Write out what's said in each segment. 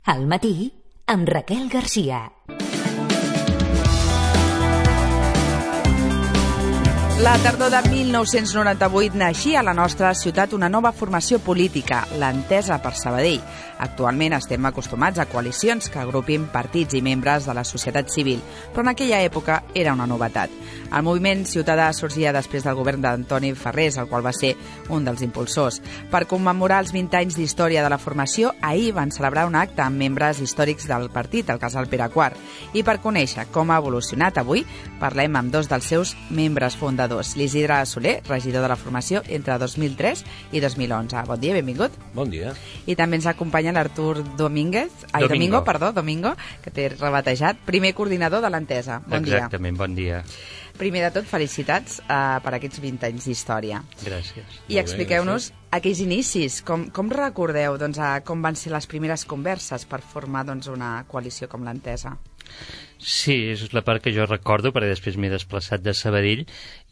Al matí, amb Raquel Garcia. La tardor de 1998 naixia a la nostra ciutat una nova formació política, l'Entesa per Sabadell. Actualment estem acostumats a coalicions que agrupin partits i membres de la societat civil, però en aquella època era una novetat. El moviment ciutadà sorgia després del govern d'Antoni Farrés, el qual va ser un dels impulsors. Per commemorar els 20 anys d'història de la formació, ahir van celebrar un acte amb membres històrics del partit, el casal Pere IV. I per conèixer com ha evolucionat avui, parlem amb dos dels seus membres fundadors. L'Isidre Soler, regidor de la formació entre 2003 i 2011. Bon dia, benvingut. Bon dia. I també ens acompanya l'Artur Domingo, que t'he rebatejat, primer coordinador de l'Entesa. Bon dia. Exactament, bon dia. Primer de tot, felicitats per aquests 20 anys d'història. Gràcies. I expliqueu-nos aquells inicis. Com recordeu com van ser les primeres converses per formar una coalició com l'Entesa? Sí, és la part que jo recordo, perquè després m'he desplaçat de Sabadell,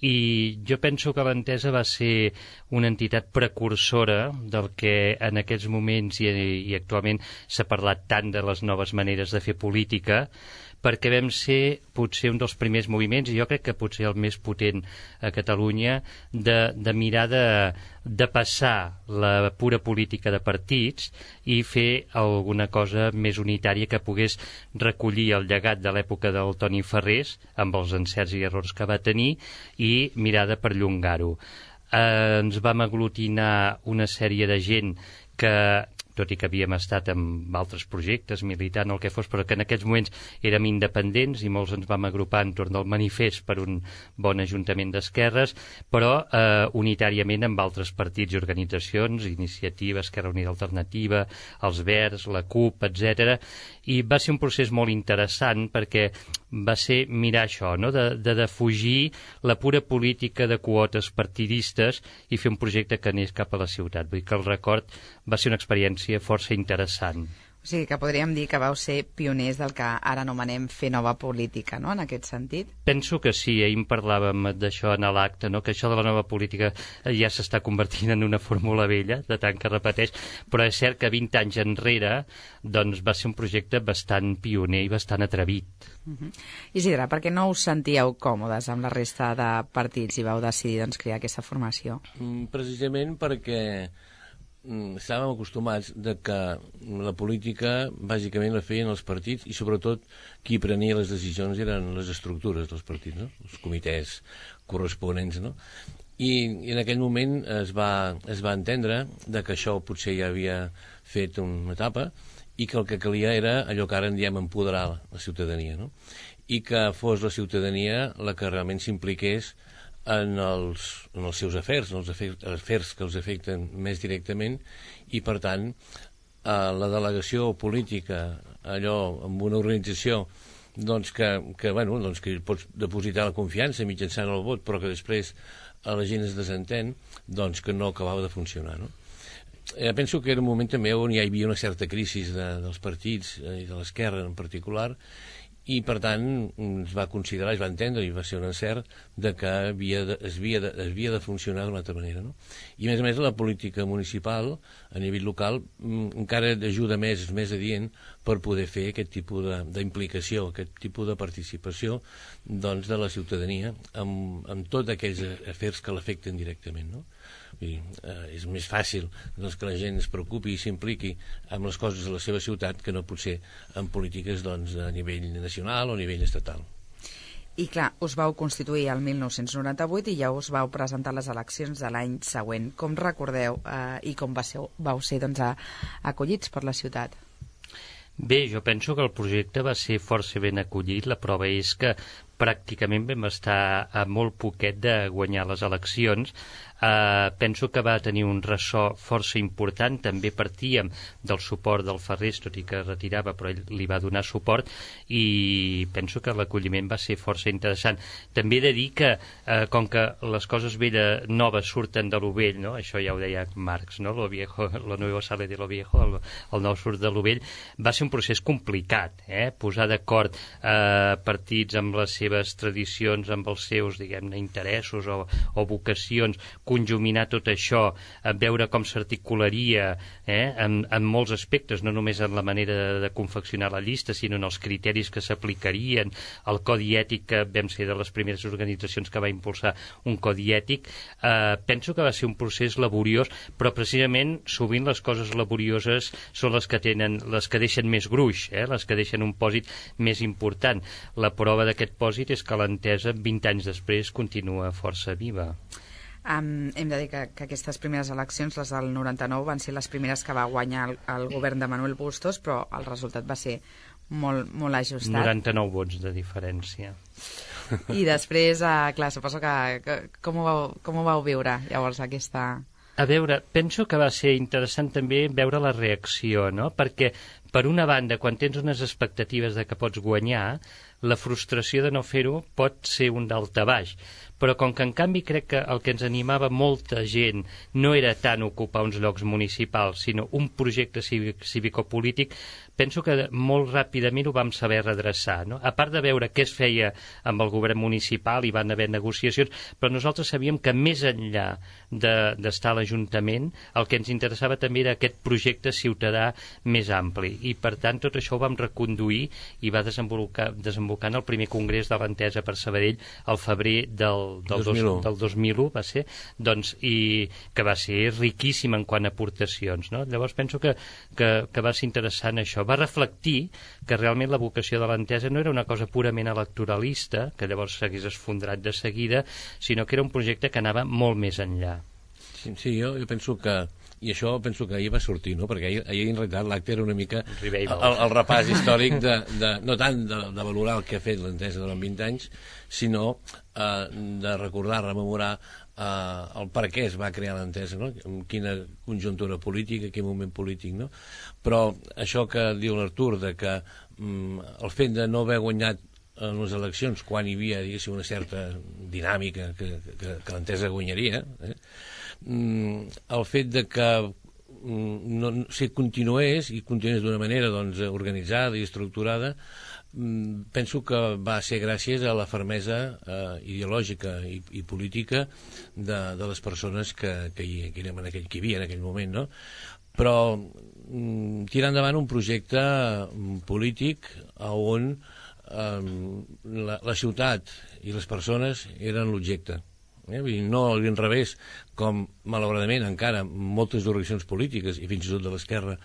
i jo penso que l'Entesa va ser una entitat precursora del que en aquests moments i actualment s'ha parlat tant de les noves maneres de fer política, perquè vam ser potser un dels primers moviments, i jo crec que potser el més potent a Catalunya, de mirar de passar la pura política de partits i fer alguna cosa més unitària que pogués recollir el llegat de l'època del Toni Farrés, amb els encerts i errors que va tenir, i mirar de perllongar-ho. Ens vam aglutinar una sèrie de gent que, tot i que havíem estat amb altres projectes, militant o el que fos, però que en aquests moments érem independents i molts ens vam agrupar entorn del manifest per un bon ajuntament d'esquerres, però unitàriament amb altres partits i organitzacions, Iniciativa, Esquerra Unida Alternativa, els Verds, la CUP, etc. I va ser un procés molt interessant perquè va ser mirar això, no? de defugir la pura política de quotes partidistes i fer un projecte que anés cap a la ciutat. Vull dir que el record va ser una experiència força interessant. O sigui que podríem dir que vau ser pioners del que ara anomenem fer nova política, no?, en aquest sentit? Penso que sí, ahir en parlàvem d'això en l'acte, no?, que això de la nova política ja s'està convertint en una fórmula vella, de tant que repeteix, però és cert que 20 anys enrere doncs, va ser un projecte bastant pioner i bastant atrevit. Isidre, per què no us sentíeu còmodes amb la resta de partits i vau decidir crear aquesta formació? Precisament perquè estàvem acostumats de que la política bàsicament la feien els partits i sobretot qui prenia les decisions eren les estructures dels partits, no? Els comitès corresponents, no? I en aquell moment es va entendre de que això potser ja havia fet una etapa i que el que calia era allò que ara en diem empoderar la ciutadania, no? I que fos la ciutadania la que realment s'impliqués en els seus afers, en els afers que els afecten més directament, i per tant la delegació política, allò amb una organització que pots depositar la confiança mitjançant el vot, però que després a la gent es desentén, doncs que no acabava de funcionar, no? Penso que era un moment també on ja hi havia una certa crisi dels partits i de l'esquerra en particular, i per tant es va considerar, es va entendre i va ser un encert de que es havia de funcionar d'una altra manera, no? I a més la política municipal a nivell local encara ajuda més, és més adient per poder fer aquest tipus d'implicació, aquest tipus de participació doncs, de la ciutadania amb tots aquells afers que l'afecten directament, no? És més fàcil doncs, que la gent es preocupi i s'impliqui amb les coses de la seva ciutat que no potser en polítiques doncs, a nivell nacional o a nivell estatal. I clar, us vau constituir el 1998 i ja us vau presentar les eleccions de l'any següent. Com recordeu i com vau ser acollits per la ciutat? Bé, jo penso que el projecte va ser força ben acollit. La prova és que pràcticament vam estar a molt poquet de guanyar les eleccions. Penso que va tenir un ressò força important. També partíem del suport del Farrés, tot i que retirava, però ell li va donar suport, i penso que l'acolliment va ser força interessant. També he de dir que, com que les coses noves surten de lo vell, no? Això ja ho deia Marx, no? Lo nuevo sale de lo viejo, el nou surt de lo vell, va ser un procés complicat, posar d'acord partits amb les seves tradicions, amb els seus, diguem-ne, interessos o vocacions, conjuminar tot això, veure com s'articularia en molts aspectes, no només en la manera de confeccionar la llista, sinó en els criteris que s'aplicarien, el codi ètic, que vam ser de les primeres organitzacions que va impulsar un codi ètic. Penso que va ser un procés laboriós, però precisament sovint les coses laborioses són les que deixen més gruix, les que deixen un pòsit més important. La prova d'aquest pòsit és que l'Entesa 20 anys després continua força viva. Hem de dir que aquestes primeres eleccions, les del 99, van ser les primeres que va guanyar el govern de Manuel Bustos, però el resultat va ser molt ajustat. 99 vots de diferència. I després, clar, suposo que com ho vau viure llavors aquesta... A veure, penso que va ser interessant també veure la reacció, no? Perquè, per una banda, quan tens unes expectatives de que pots guanyar, la frustració de no fer-ho pot ser un daltabaix. Però com que en canvi crec que el que ens animava molta gent no era tant ocupar uns llocs municipals, sinó un projecte cívico-polític, penso que molt ràpidament ho vam saber redreçar, no? A part de veure què es feia amb el govern municipal, hi van haver negociacions, però nosaltres sabíem que més enllà d'estar a l'Ajuntament, el que ens interessava també era aquest projecte ciutadà més ampli, i per tant tot això ho vam reconduir i va desembocar en el primer congrés de l'Entesa per Sabadell al febrer del 2001 va ser, doncs, i que va ser riquíssim en quant a aportacions, no? Llavors penso que va ser interessant això, va reflectir que realment la vocació de l'Entesa no era una cosa purament electoralista, que llavors s'hagués esfondrat de seguida, sinó que era un projecte que anava molt més enllà. Sí, jo penso que, i això penso que ahir va sortir, no? Perquè ahir en realitat l'acte era una mica el repàs històric no tant de valorar el que ha fet l'Entesa durant 20 anys, sinó de recordar, rememorar el per què es va crear l'Entesa, no? En quina conjuntura política, quin moment polític, no? Però això que diu l'Artur, de que el fet de no haver guanyat en les eleccions quan hi havia, diguéssim, una certa dinàmica que l'Entesa guanyaria, el fet de que si continués d'una manera organitzada i estructurada, penso que va ser gràcies a la fermesa ideològica i política de les persones que hi havia en aquell moment, no? Però tirar endavant un projecte polític on la ciutat i les persones eren l'objecte, no a l'inrevés, com malauradament encara moltes organitzacions polítiques i fins i tot de l'esquerra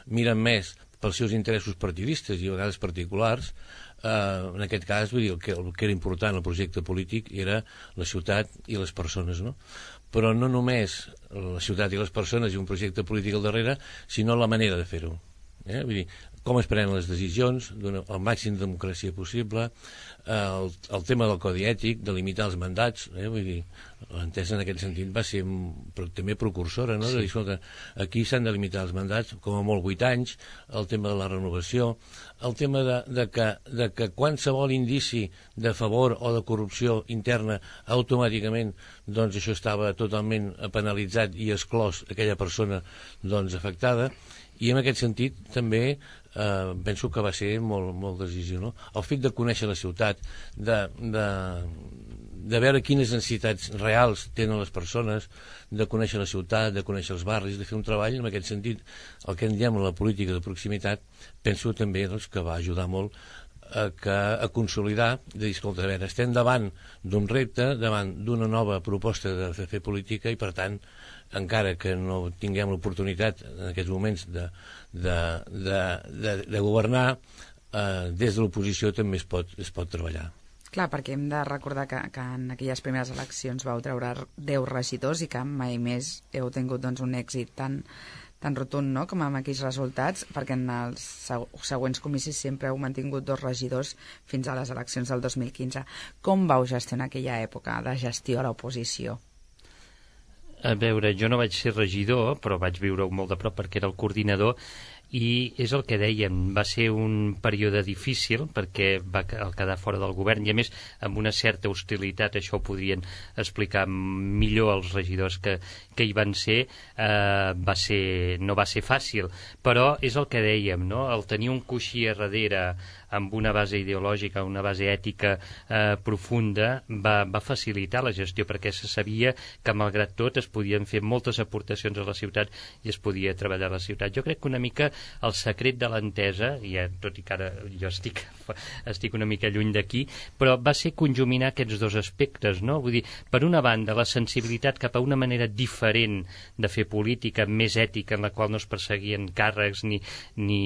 miren més pels seus interessos partidistes i a vegades particulars. En aquest cas, vull dir, el que era important el projecte polític era la ciutat i les persones, no? Però no només la ciutat i les persones i un projecte polític al darrere, sinó la manera de fer-ho. Vull dir, com es prenen les decisions, el màxim de democràcia possible, el tema del codi ètic, de limitar els mandats, vull dir, l'Entesa en aquest sentit va ser també precursora, no? Sí. De dir, escolta, aquí s'han de limitar els mandats, com a molt 8 anys, el tema de la renovació, el tema de que qualsevol indici de favor o de corrupció interna automàticament, doncs això estava totalment penalitzat i exclòs aquella persona afectada. I en aquest sentit també penso que va ser molt decisiu, no? El fet de conèixer la ciutat, de veure quines necessitats reals tenen les persones, de conèixer la ciutat, de conèixer els barris, de fer un treball en aquest sentit, el que en diem la política de proximitat, penso també que va ajudar molt a consolidar, de dir, escolta, a veure, estem davant d'un repte, davant d'una nova proposta de fer política i, per tant, encara que no tinguem l'oportunitat en aquests moments de governar, des de l'oposició també es pot treballar. Clar, perquè hem de recordar que en aquelles primeres eleccions vau treure 10 regidors i que mai més heu tingut un èxit tan rotund, no?, com amb aquells resultats, perquè en els següents comicis sempre heu mantingut 2 regidors fins a les eleccions del 2015. Com vau gestionar aquella època de gestió a l'oposició? A veure, jo no vaig ser regidor, però vaig viure-ho molt de prop perquè era el coordinador, i és el que dèiem, va ser un període difícil perquè va quedar fora del govern i a més amb una certa hostilitat, això ho podrien explicar millor els regidors que hi van ser, no va ser fàcil, però és el que dèiem, no? El tenir un coixí a darrere amb una base ideològica, una base ètica profunda, va facilitar la gestió, perquè se sabia que malgrat tot es podien fer moltes aportacions a la ciutat i es podia treballar a la ciutat. Jo crec que una mica el secret de l'entesa, tot i que ara jo estic una mica lluny d'aquí, però va ser conjuminar aquests dos aspectes, no? Vull dir, per una banda, la sensibilitat cap a una manera diferent de fer política, més ètica, en la qual no es perseguien càrrecs ni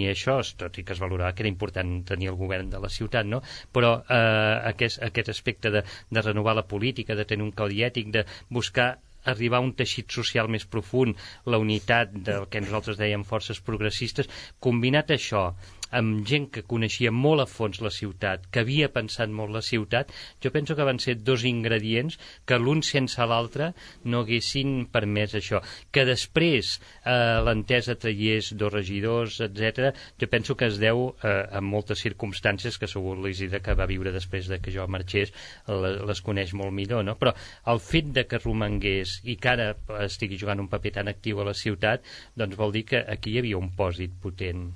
això, tot i que es valorava que era important tenir el govern de la ciutat, no? Però aquest aspecte de renovar la política, de tenir un codi ètic, de buscar arribar a un teixit social més profund, la unitat del que nosaltres dèiem forces progressistes, combinat això amb gent que coneixia molt a fons la ciutat, que havia pensat molt la ciutat, jo penso que van ser dos ingredients que l'un sense l'altre no haguessin permès això. Que després l'entesa traiés dos regidors, etc., jo penso que es deu a moltes circumstàncies que segur l'Isidre, que va viure després de que jo marxés, les coneix molt millor, no? Però el fet de que romangués i que ara estigui jugant un paper tan actiu a la ciutat, doncs vol dir que aquí hi havia un pòsit potent.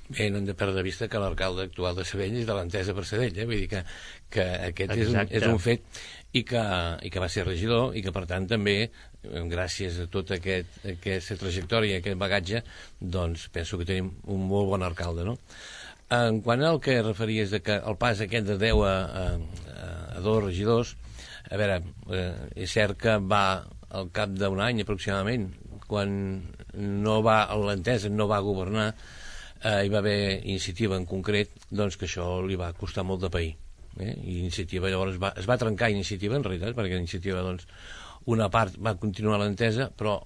Bé, no hem de perdre de vista que l'alcalde actual de Sabadell és de l'entesa per Sabadell, vull dir que aquest és un fet i que va ser regidor i que per tant també gràcies a tota aquesta trajectòria, aquest bagatge, doncs penso que tenim un molt bon alcalde, no? En quant al que referies de que el pas aquest de 10 a 2 regidors, a veure, és cert que va al cap d'un any aproximadament, quan l'entesa no va governar, hi va haver iniciativa en concret, doncs que això li va costar molt de pair. I iniciativa llavors es va trencar iniciativa en realitat, perquè iniciativa doncs una part va continuar l'entesa, però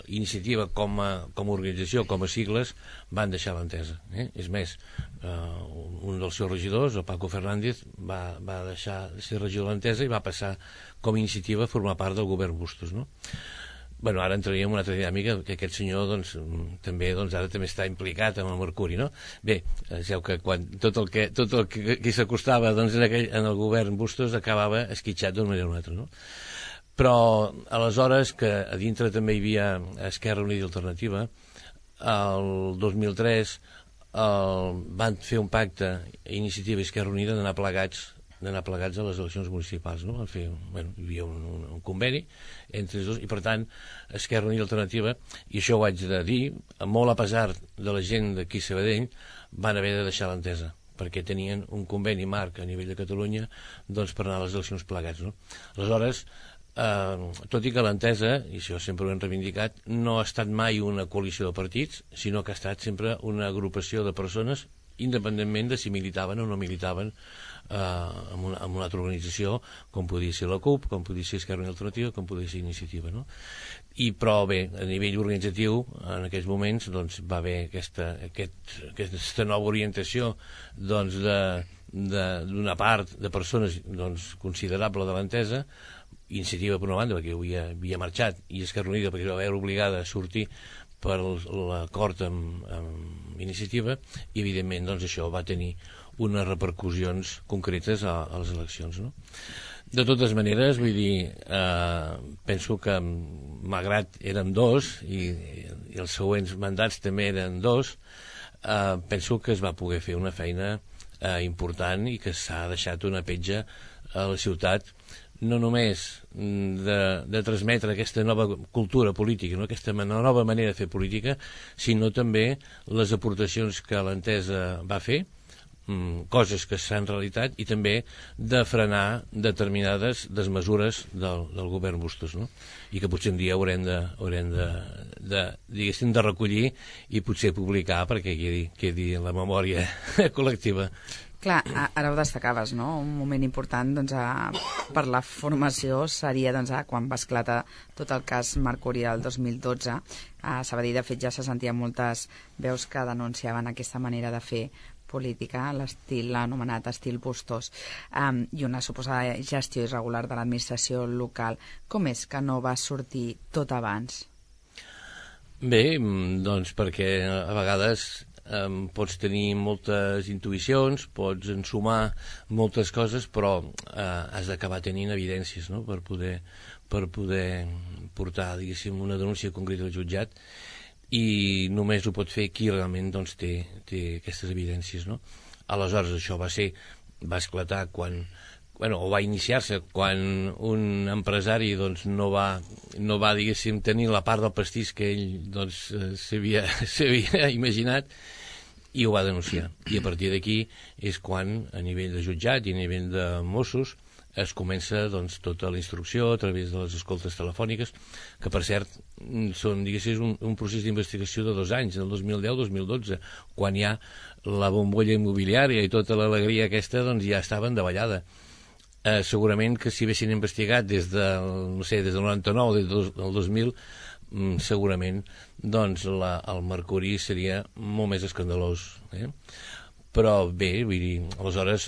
iniciativa com a organització, com a sigles, van deixar l'entesa. És més, un dels seus regidors, el Paco Fernández, va deixar de ser regidor de l'entesa i va passar com a iniciativa a formar part del govern Bustos, no? Bueno, ara entraríem en una altra dinàmica, que aquest senyor doncs, també està implicat amb el Mercuri, no? Bé, sabeu que quan tot el que s'acostava doncs, en el govern Bustos acabava esquitxat d'una manera o una altra, no? Però aleshores, que a dintre també hi havia Esquerra Unida i Alternativa, el 2003 van fer un pacte, Iniciativa i Esquerra Unida, d'anar plegats a les eleccions municipals, no? Hi havia un conveni entre els dos i per tant Esquerra Unida i Alternativa, i això ho haig de dir, molt a pesar de la gent d'aquí a Sabadell, van haver de deixar l'entesa perquè tenien un conveni marc a nivell de Catalunya doncs per anar a les eleccions plegats, no? Aleshores, tot i que l'entesa, i això sempre ho hem reivindicat, no ha estat mai una coalició de partits, sinó que ha estat sempre una agrupació de persones independentment de si militaven o no militaven en una altra organització, com podia ser la CUP, com podia ser Esquerra Unida i Alternativa, com podia ser Iniciativa, no? Però bé, a nivell organitzatiu, en aquells moments doncs, va haver aquesta nova orientació doncs, d'una part de persones doncs, considerable de l'entesa, Iniciativa per una banda, perquè havia marxat, i Esquerra Unida perquè va haver obligada a sortir per l'acord amb Iniciativa, i evidentment doncs, això va tenir unes repercussions concretes a les eleccions, no? De totes maneres, vull dir, penso que malgrat érem dos i els següents mandats també eren dos, penso que es va poder fer una feina important i que s'ha deixat una petja a la ciutat, no només de transmetre aquesta nova cultura política, no? Aquesta nova manera de fer política, sinó també les aportacions que l'entesa va fer, coses que s'han realitat, i també de frenar determinades desmesures del govern Bustos, no? I que potser un dia haurem de recollir i potser publicar perquè quedi en la memòria col·lectiva. Clar, ara ho destacaves, no? Un moment important doncs, per la formació seria doncs, quan va esclatar tot el cas Mercuri del 2012. A Sabadell, de fet, ja se sentien moltes veus que denunciaven aquesta manera de fer política, l'anomenat estil Bustos, i una suposada gestió irregular de l'administració local. Com és que no va sortir tot abans? Bé, doncs perquè a vegades pots tenir moltes intuïcions, pots ensumar moltes coses, però has d'acabar tenint evidències, no? per poder portar, diguéssim, una denúncia concreta al jutjat. i només ho pot fer qui realment doncs, té aquestes evidències, no? Aleshores això va esclatar quan, o va iniciar-se quan un empresari doncs, no va diguéssim tenir la part del pastís que ell doncs, s'havia imaginat, i ho va denunciar, i a partir d'aquí és quan a nivell de jutjat i a nivell de Mossos es comença doncs, tota la instrucció a través de les escoltes telefòniques, que per cert són, diguéssim, un procés d'investigació de 2 anys, del 2010-2012, quan ja la bombolla immobiliària i tota l'alegria aquesta doncs, ja estaven davallada. Segurament que si haguessin investigat des del 99 des del 2000, segurament doncs, el mercuri seria molt més escandalós. Però bé, vull dir, aleshores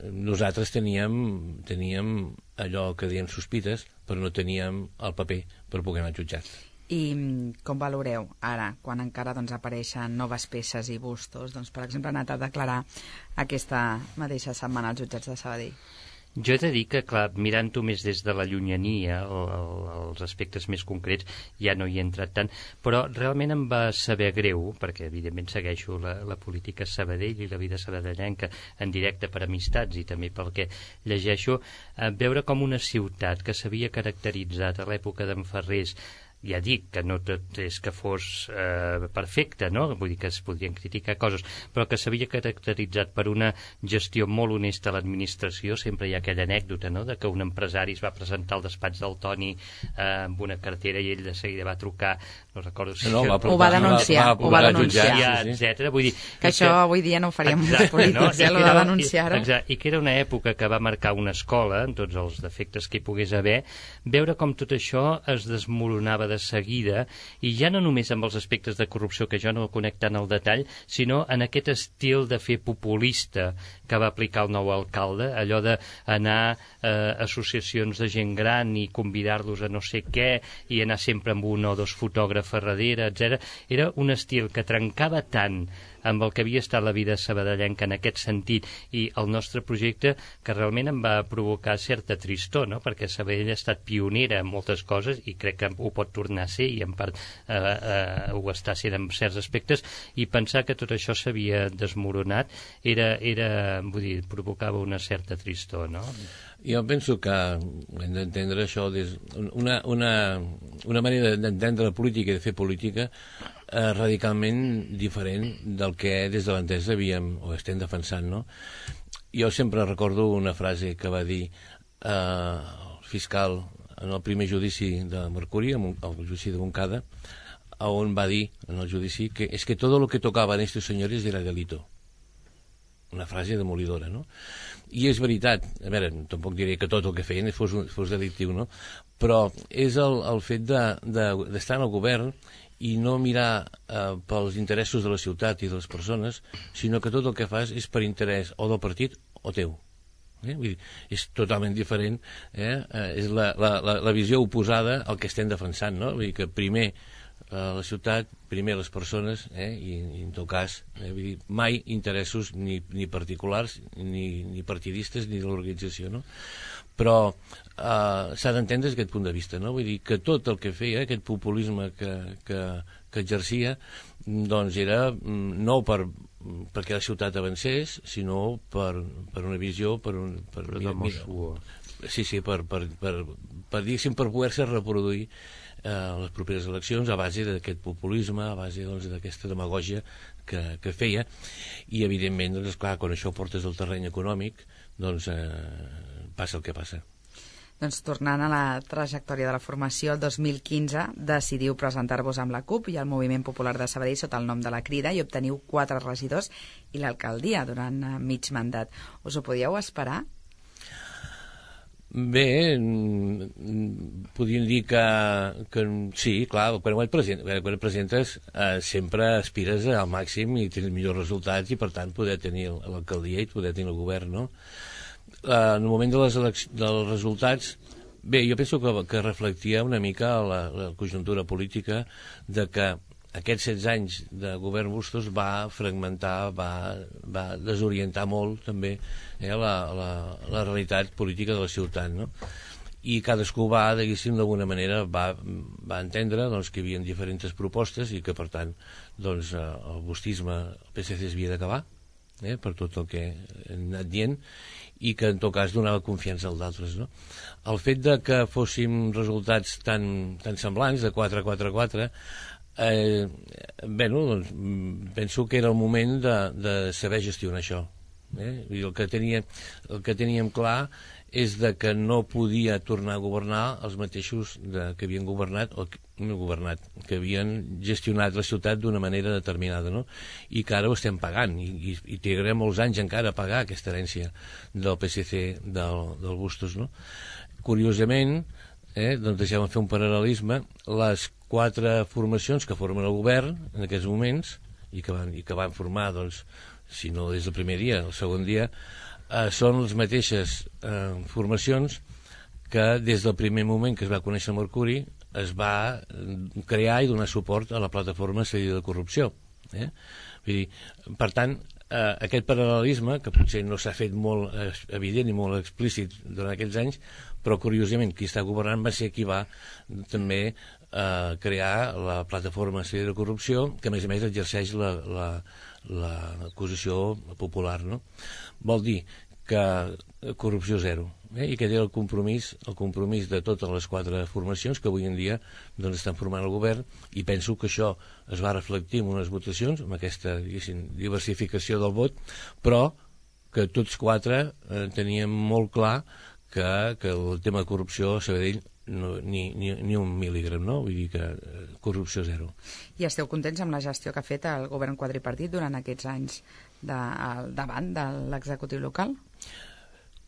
nosaltres teníem allò que diem sospites, però no teníem el paper per poder anar al jutjat. I com valoreu ara, quan encara doncs, apareixen noves peces i bustos? Doncs, per exemple, ha anat a declarar aquesta mateixa setmana als jutjats de Sabadell. Jo he de dir que, clar, mirant-ho més des de la llunyania, els aspectes més concrets, ja no hi he entrat tant, però realment em va saber greu, perquè evidentment segueixo la política Sabadell i la vida sabadellenca en directe per amistats i també pel que llegeixo, veure com una ciutat que s'havia caracteritzat a l'època d'en Ferrés, ja dic que no tot és que fos perfecte, no? Vull dir que es podrien criticar coses, però que s'havia caracteritzat per una gestió molt honesta a l'administració. Sempre hi ha aquella anècdota, no?, de que un empresari es va presentar al despatx del Toni amb una cartera i ell de seguida va trucar, no recordo si... ho va denunciar, etcètera. Vull dir que això avui dia no ho faríem molts polítics, lo de denunciar-ho. I que era una època que va marcar una escola, en tots els defectes que hi pogués haver, veure com tot això es desmoronava de seguida, i ja no només amb els aspectes de corrupció, que jo no ho conec tant al detall, sinó en aquest estil de fer populista que va aplicar el nou alcalde, allò d'anar a associacions de gent gran i convidar-los a no sé què i anar sempre amb un o dos fotògrafs a darrere, etc. Era un estil que trencava tant amb el que havia estat la vida sabadellenca en aquest sentit i el nostre projecte, que realment em va provocar certa tristor, no?, perquè Sabadell ha estat pionera en moltes coses i crec que ho pot tornar a ser, i en part ho està sent en certs aspectes, i pensar que tot això s'havia desmoronat vull dir, provocava una certa tristor, no? Jo penso que hem d'entendre això una manera d'entendre la política i de fer política radicalment diferent del que des de l'Entesa havíem o estem defensant, no? Jo sempre recordo una frase que va dir el fiscal en el primer judici de Mercuri, el judici de Montcada, on va dir en el judici que és que todo lo que tocaban estos señores era delito. Una frase demolidora, no? I és veritat, a veure, tampoc diré que tot el que feien fos delictiu, no? Però és el fet d'estar en el govern i no mirar pels interessos de la ciutat i de les persones, sinó que tot el que fas és per interès o del partit o teu. Vull dir, és totalment diferent, és la visió oposada al que estem defensant, no? Vull dir que primer la ciutat, primer les persones, i en tot cas vull dir, mai interessos ni particulars ni partidistes ni de l'organització, no? Però s'ha d'entendre des d'aquest punt de vista, no? Vull dir que tot el que feia, aquest populisme que exercia, doncs era no perquè la ciutat avancés, sinó per una visió, per poder-se reproduir les properes eleccions a base d'aquest populisme, a base d'aquesta demagògia que feia, i evidentment, doncs, clar, quan això ho portes al terreny econòmic, doncs passa el que passa. Doncs tornant a la trajectòria de la formació, el 2015 decidiu presentar-vos amb la CUP i el Moviment Popular de Sabadell sota el nom de la Crida i obteniu 4 regidors i l'alcaldia durant mig mandat. Us ho podíeu esperar? Bé, podríem dir que sí, clar, quan et presentes sempre aspires al màxim i tens millors resultats i per tant poder tenir l'alcaldia i poder tenir el govern, no? En el moment dels resultats, bé, jo penso que reflectia una mica la conjuntura política de que aquests 16 anys de govern Bustos va fragmentar, va desorientar molt també la realitat política de la ciutat, no? i cadascú va, diguéssim, d'alguna manera va entendre doncs, que hi havia diferents propostes i que, per tant, doncs, el bustisme, el PSC s'havia d'acabar, per tot el que hem anat dient, i que en tot cas donava confiança als altres, no? El fet de que fóssim resultats tan semblants, de 4-4-4, doncs, penso que era el moment de saber gestionar això. I el que teníem clar és de que no podia tornar a governar els mateixos que havien governat o no governat, que havien gestionat la ciutat d'una manera determinada, no? I que ara ho estem pagant i trigarem molts anys encara a pagar aquesta herència del PSC del Bustos, no? Curiosament, doncs deixem fer un paral·lelisme, les 4 formacions que formen el govern en aquests moments i que van formar, doncs, si no des del primer dia, el segon dia, són les mateixes formacions que des del primer moment que es va conèixer Mercuri es va crear i donar suport a la plataforma Seguida de Corrupció. Vull dir, per tant, aquest paral·lelisme, que potser no s'ha fet molt evident i molt explícit durant aquests anys, però curiosament qui està governant va ser qui va també crear la plataforma Seguida de Corrupció, que a més exerceix l'acusació popular, no? Vol dir que corrupció zero, i que era el compromís de totes les 4 formacions que avui en dia doncs, estan formant el govern, i penso que això es va reflectir en unes votacions, amb aquesta diversificació del vot, però que tots 4 teníem molt clar que el tema de corrupció a Sabadell ni un mil·lígram, no? Vull dir que corrupció zero. I esteu contents amb la gestió que ha fet el govern quadripartit durant aquests anys davant de l'executiu local?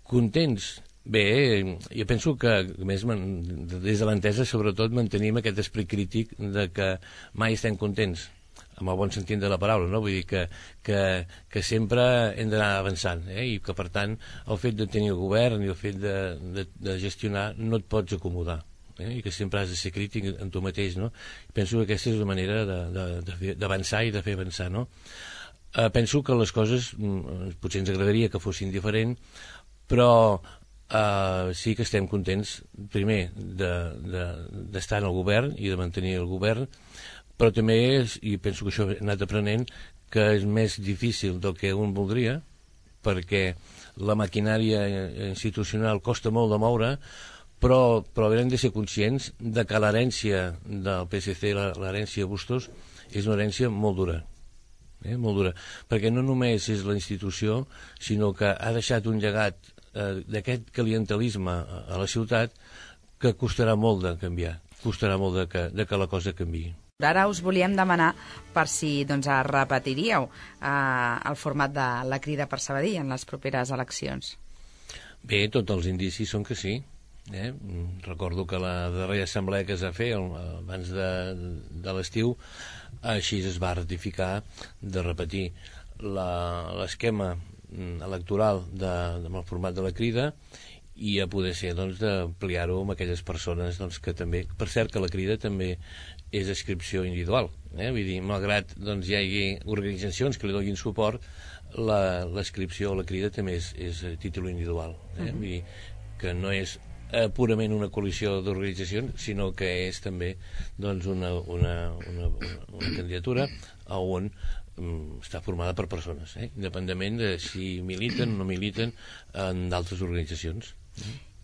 Contents? Bé, jo penso que, a més, des de l'entesa, sobretot, mantenim aquest esperit crític de que mai estem contents, amb el bon sentit de la paraula, no? Vull dir que sempre hem d'anar avançant, i que, per tant, el fet de tenir el govern i el fet de gestionar no et pots acomodar, i que sempre has de ser crític en tu mateix, no? Penso que aquesta és la manera d'avançar i de fer avançar, no? Penso que les coses potser ens agradaria que fossin diferents, però sí que estem contents, primer, d'estar en el govern i de mantenir el govern, però també, i penso que això he anat aprenent, que és més difícil del que un voldria, perquè la maquinària institucional costa molt de moure, però haurem de ser conscients de que l'herència del PSC, l'herència Bustos, és una herència molt dura, molt dura, perquè no només és la institució, sinó que ha deixat un llegat d'aquest clientelisme a la ciutat que costarà molt de canviar, costarà molt de que la cosa canviï. Ara us volíem demanar per si repetiríeu el format de la Crida per Sabadell en les properes eleccions. Bé, tots els indicis són que sí. Recordo que la darrera assemblea que es va fer abans de l'estiu, així es va ratificar de repetir l'esquema electoral amb el format de la Crida, i a poder ser d'ampliar-ho amb aquelles persones que també, per cert que la Crida també és inscripció individual, vull dir, malgrat hi hagi organitzacions que li donin suport, l'inscripció o la Crida també és a títol individual, vull dir que no és purament una coalició d'organitzacions, sinó que és també una candidatura on està formada per persones, independentment de si militen o no militen en d'altres organitzacions.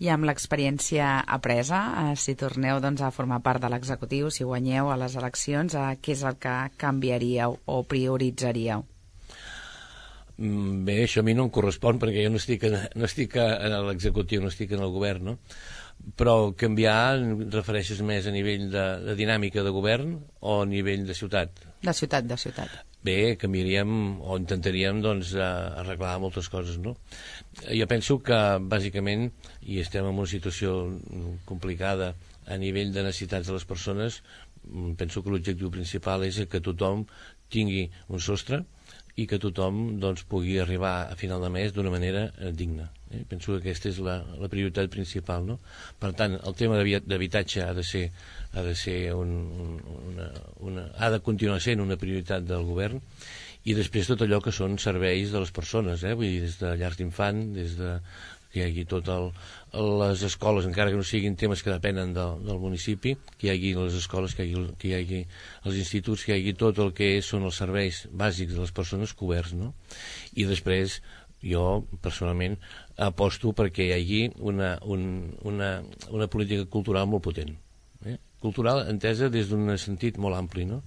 I amb l'experiència apresa, si torneu a formar part de l'executiu, si guanyeu a les eleccions, què és el que canviaríeu o prioritzaríeu? Bé, això a mi no em correspon perquè jo no estic a l'executiu, no estic en el govern, no? Però canviar refereixes més a nivell de dinàmica de govern o a nivell de ciutat? De ciutat. Bé, canviaríem o intentaríem arreglar moltes coses, no? Jo penso que bàsicament, i estem en una situació complicada a nivell de necessitats de les persones, penso que l'objectiu principal és que tothom tingui un sostre i que tothom pugui arribar a final de mes d'una manera digna. Penso que aquesta és la prioritat principal, no? Per tant, el tema d'habitatge ha de continuar sent una prioritat del govern, i després tot allò que són serveis de les persones, vull dir, des de llars d'infant, des de que hi hagi les escoles, encara que no siguin temes que depenen del municipi, que hi hagi les escoles, que hi hagi els instituts, que hi hagi tot el que són els serveis bàsics de les persones coberts, no? I després jo personalment aposto perquè hi hagi una política cultural molt potent, cultural entesa des d'un sentit molt ampli, no?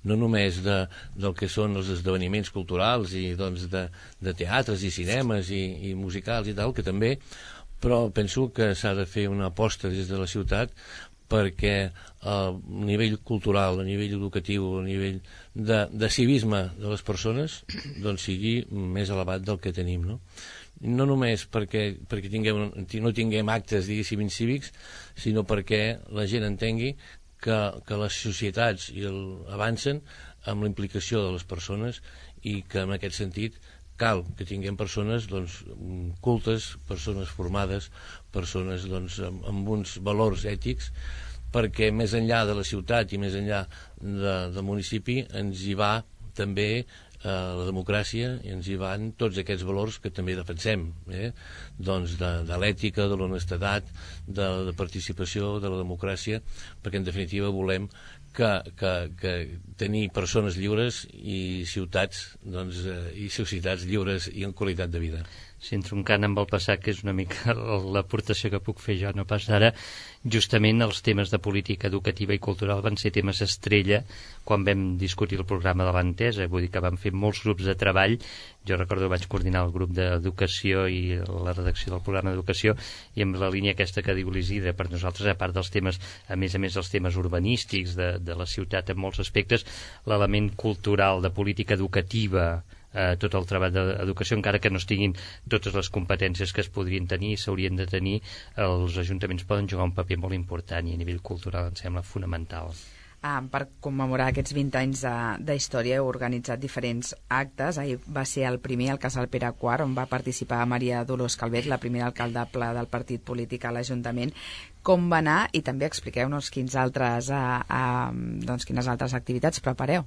No només del que són els esdeveniments culturals i doncs de teatres i cinemes i musicals i tal, que també, però penso que s'ha de fer una aposta des de la ciutat perquè a nivell cultural, a nivell educatiu, a nivell de civisme de les persones doncs sigui més elevat del que tenim, no? No només perquè no tinguem actes, diguéssim, incívics, sinó perquè la gent entengui que les societats avancen amb la implicació de les persones i que en aquest sentit cal que tinguem persones cultes, persones formades, persones amb uns valors ètics, perquè més enllà de la ciutat i més enllà del municipi ens hi va també la democràcia i ens hi van tots aquests valors que també defensem, doncs de l'ètica, de l'honestedat, de la participació, de la democràcia, perquè en definitiva volem que tenir persones lliures i ciutats i societats lliures i en qualitat de vida. Si entroncant amb el passat, que és una mica l'aportació que puc fer jo, no pas d'ara, justament els temes de política educativa i cultural van ser temes estrella quan vam discutir el programa de l'Entesa, vull dir que vam fer molts grups de treball. Jo recordo que vaig coordinar el grup d'educació i la redacció del programa d'educació, i amb la línia aquesta que diu l'Isidre, per nosaltres, a part dels temes, a més dels temes urbanístics de la ciutat en molts aspectes, l'element cultural de política educativa, tot el treball d'educació, encara que no estiguin totes les competències que es podrien tenir i s'haurien de tenir, els ajuntaments poden jugar un paper molt important i a nivell cultural em sembla fonamental. Per commemorar aquests 20 anys d'història heu organitzat diferents actes. Ahir va ser el primer al Casal Pere IV, on va participar Maria Dolors Calvet, la primera alcaldable del partit polític a l'Ajuntament. Com va anar? I també expliqueu-nos quines altres activitats prepareu.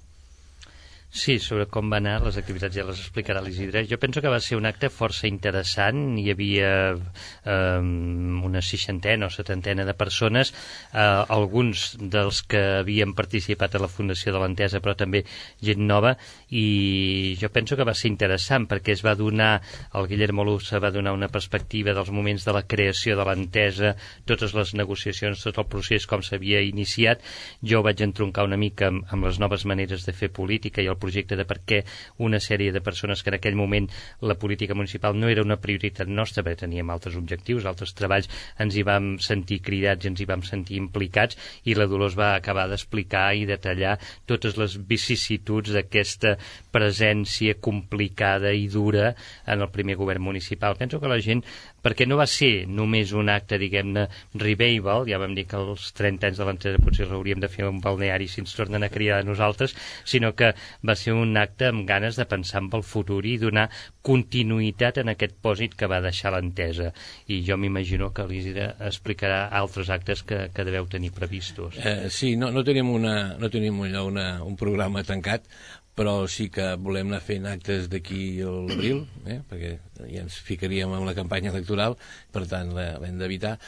Sí, sobre com va anar, les activitats ja les explicarà l'Isidre. Jo penso que va ser un acte força interessant. Hi havia una 60 o 70 de persones, alguns dels que havien participat a la fundació de l'Entesa, però també gent nova, i jo penso que va ser interessant perquè es va donar, el Guillermo Lussa va donar una perspectiva dels moments de la creació de l'Entesa, totes les negociacions, tot el procés com s'havia iniciat. Jo vaig entroncar una mica amb les noves maneres de fer política i el projecte de per què una sèrie de persones que en aquell moment la política municipal no era una prioritat nostra, perquè teníem altres objectius, altres treballs, ens hi vam sentir cridats i ens hi vam sentir implicats, i la Dolors va acabar d'explicar i detallar totes les vicissituds d'aquesta presència complicada i dura en el primer govern municipal. Penso que la gent, perquè no va ser només un acte, diguem-ne, revival, ja vam dir que als 30 anys de l'Entesa potser hauríem de fer un balneari si ens tornen a cridar a nosaltres, sinó que va ser un acte amb ganes de pensar en el futur i donar continuïtat en aquest pòsit que va deixar l'Entesa. I jo m'imagino que l'Isidre explicarà altres actes que deveu tenir previstos. Sí, no tenim un programa tancat, però sí que volem anar fent actes d'aquí a l'abril, perquè ja ens ficaríem en la campanya electoral, per tant l'hem d'evitar.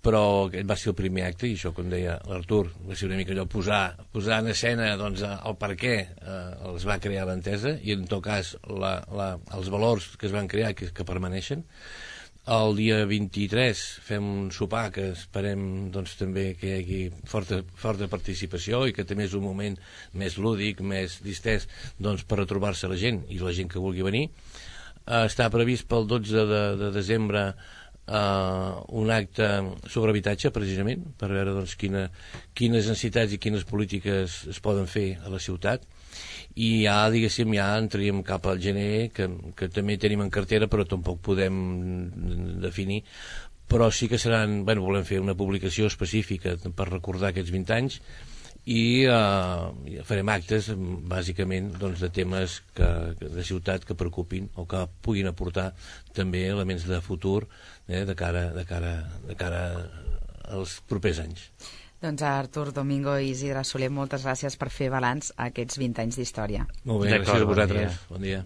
Però aquest va ser el primer acte, i això, com deia l'Artur, va ser una mica allò posar en escena el per què es va crear l'Entesa, i en tot cas els valors que es van crear que permaneixen. El dia 23 fem un sopar que esperem també que hi hagi forta participació i que també és un moment més lúdic, més distès, per retrobar-se la gent i la gent que vulgui venir. Està previst pel 12 de desembre un acte sobre habitatge, precisament, per veure quines necessitats i quines polítiques es poden fer a la ciutat. I ja entraríem cap al gener, que també tenim en cartera, però tampoc podem definir. Però sí que volem fer una publicació específica per recordar aquests 20 anys, i farem actes bàsicament de temes de ciutat que preocupin o que puguin aportar també elements de futur de cara als propers anys. Doncs Artur Domingo i Isidre Soler, moltes gràcies per fer balanç a aquests 20 anys d'història. Molt bé, gràcies a vosaltres. Bon dia.